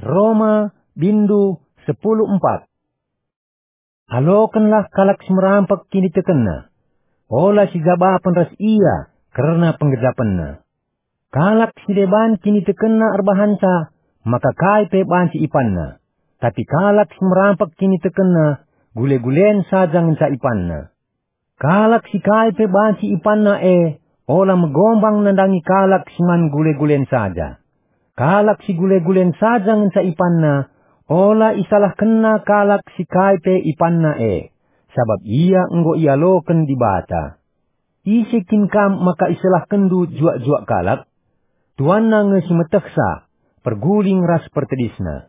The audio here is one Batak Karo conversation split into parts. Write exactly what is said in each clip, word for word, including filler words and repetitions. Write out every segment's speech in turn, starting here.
Roma, bindu sepuluh empat. Alokenlah kalak si merampek kinitekenna. Ola sijabapen ras ia kerna penggejapenna. Kalak si deban kinitekenna erbahanca maka kai pe banci ipanna, tapi kalak si merampek kinitekenna gule-gulen saja ngenca ipanna. Kalak si kai pe banci ipanna e, ola megombang nandangi kalak si man gule-gulen saja. Kalak si gule-gulen saja ngenca ipanna, ola isalahkenna kalak si kai pe ipanna e, sabap ia enggo ialoken Dibata. Ise kin kam maka isalahkenndu juak-juak kalak? Tuanna nge si metehsa, perguling ras pertedisna.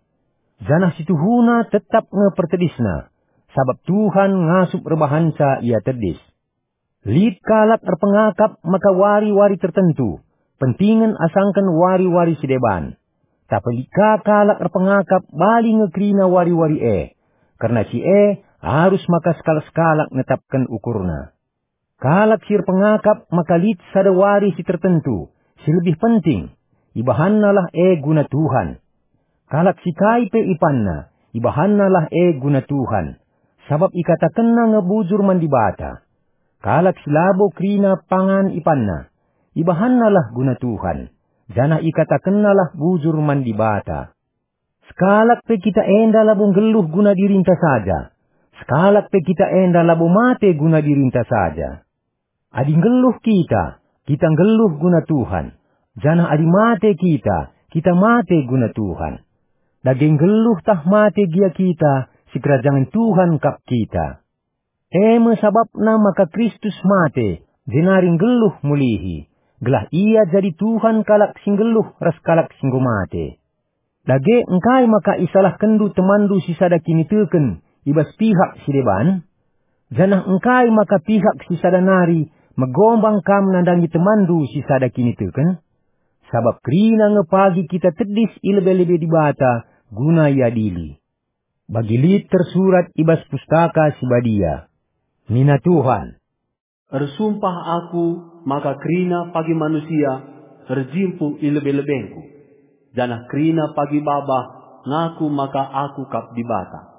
Janah si tuhuna tetap nge pertedisna, sabap Tuhan ngasup erbahanca ia tedis. Lit kalak erpengakap maka wari-wari tertentu, pentingen asangken wari-wari si deban. Tapi lit ka kalak erpengakap bali nge kerina wari-wari e, kerna si e arus maka sekalak-sekalak netapken ukurna. Kalak si erpengakap maka lit sada wari si tertentu, si lebih penting, ibahannalah e guna Tuhan. Kalak si kai pe ipanna, ibahannalah e guna Tuhan, sabap ikatakenna nge bujur man Dibata. Kalak si labo kerina pangan ipanna, ibahannalah guna Tuhan, janah ikatakennalah bujur man Dibata. Sekalak pe kita enda labo nggeluh guna dirinta saja. Sekalak pe kita enda labo mate guna dirinta saja. Adi nggeluh kita, kita nggeluh guna Tuhan. Janah adi mate kita, kita mate guna Tuhan. Dage nggeluh tah mate gia kita, sikerajangen Tuhan kap kita. E me sabapna maka Kristus mate, jenari nggeluh mulihi, gelah ia jadi Tuhan kalak si nggeluh ras kalak si enggo mate. Dage engkai maka isalahkenndu temanndu si sada kiniteken i bas pihak si deban? Janah engkai maka pihak si sada nari megombang kam nandangi temanndu si sada kiniteken? Sabap kerina nge pagi kita tedis i lebe-lebe Dibata guna iadili. Bagi lit tersurat i bas Pustaka Si Badia, nina Tuhan, "Ersumpah Aku maka kerina pagi manusia erjimpuh i lebe-lebengKu, janah kerina pagi babah ngaku maka Aku kap Dibata."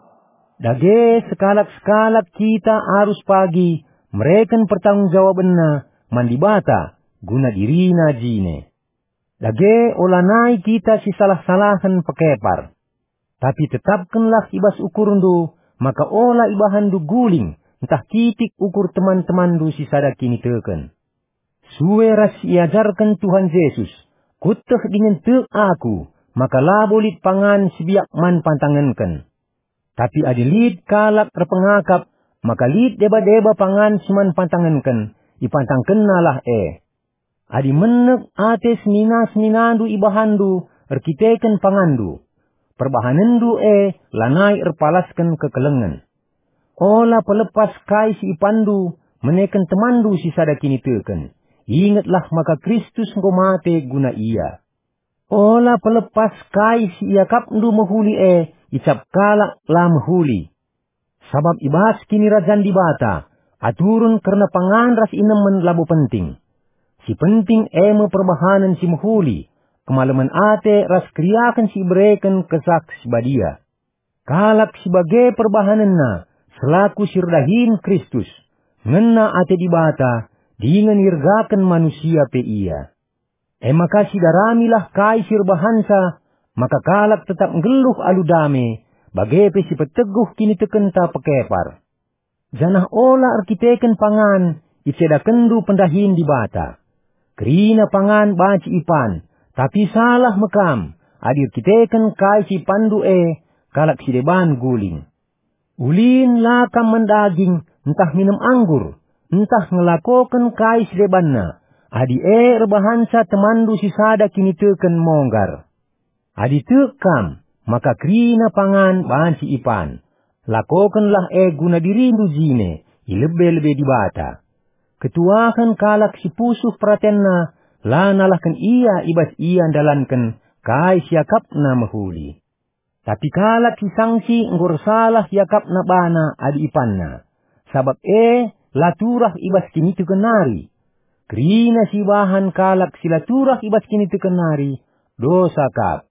Dage sekalak-sekalak kita arus pagi mereken pertanggungjawabenna man Dibata guna dirina jine. Dage olanai kita sisalah-salahen pekepar. Tapi tetapkenlah i bas ukurndu, maka ola ibahanndu guling ntah kitik ukur teman-temanndu si sada kiniteken. Sue ras si iajarken Tuhan Jesus, "Kueteh dingen tek Aku, maka labo lit pangan si biak man pantangenken." Tapi adi lit kalak erpengakap, maka lit deba-deba pangan si man pantangenken, ipantangkennalah e. Adi menek ate senina-seninandu ibahanndu erkiteken panganndu, perbahanenndu e lanai erpalasken kekelengen. Ola pelepas kai si ipanndu meneken temanndu si sada kiniteken. Ingetlah maka Kristus enggo mate guna ia. Ola pelepas kai si iakapndu mehuli e icap kalak la mehuli. Sabap i bas Kinirajan Dibata, aturen kerna pangan ras inemen labo penting. Si penting e me perbahanen si mehuli, kemalemen ate ras keriahen si ibereken Kesah Si Badia. Kalak si bage perbahanenna selaku si erdahin Kristus, ngena ate Dibata, dingen iergaken manusia pe ia. E maka sidaramilah kai si erbahanca, maka kalak tetap nggeluh alu dame, bage pe si peteguh kinitekenta pekepar. Janah ola erkiteken pangan icedakenndu pendahin Dibata. Kerina pangan banci ipan, tapi salah me kam adi erkiteken kai si ipanndu e kalak si deban guling. Ulin la kam man daging, ntah minem anggur, ntah ngelakoken kai si debanna, adi e erbahanca temanndu si sada kiniteken monggar. Adi tek kam, maka kerina pangan banci ipan. Lakokenlah e guna dirindu jine, i lebe-lebe Dibata. Ketuahen kalak si pusuh peratenna la nalahken ia i bas ia ndalanken kai si akapna mehuli. Tapi kalak si sangsi enggo ersalah iakapna bana adi ipanna, sabap e la turah i bas kiniteken nari. Kerina si ibahan kalak si la turah i bas kiniteken nari, dosa kap.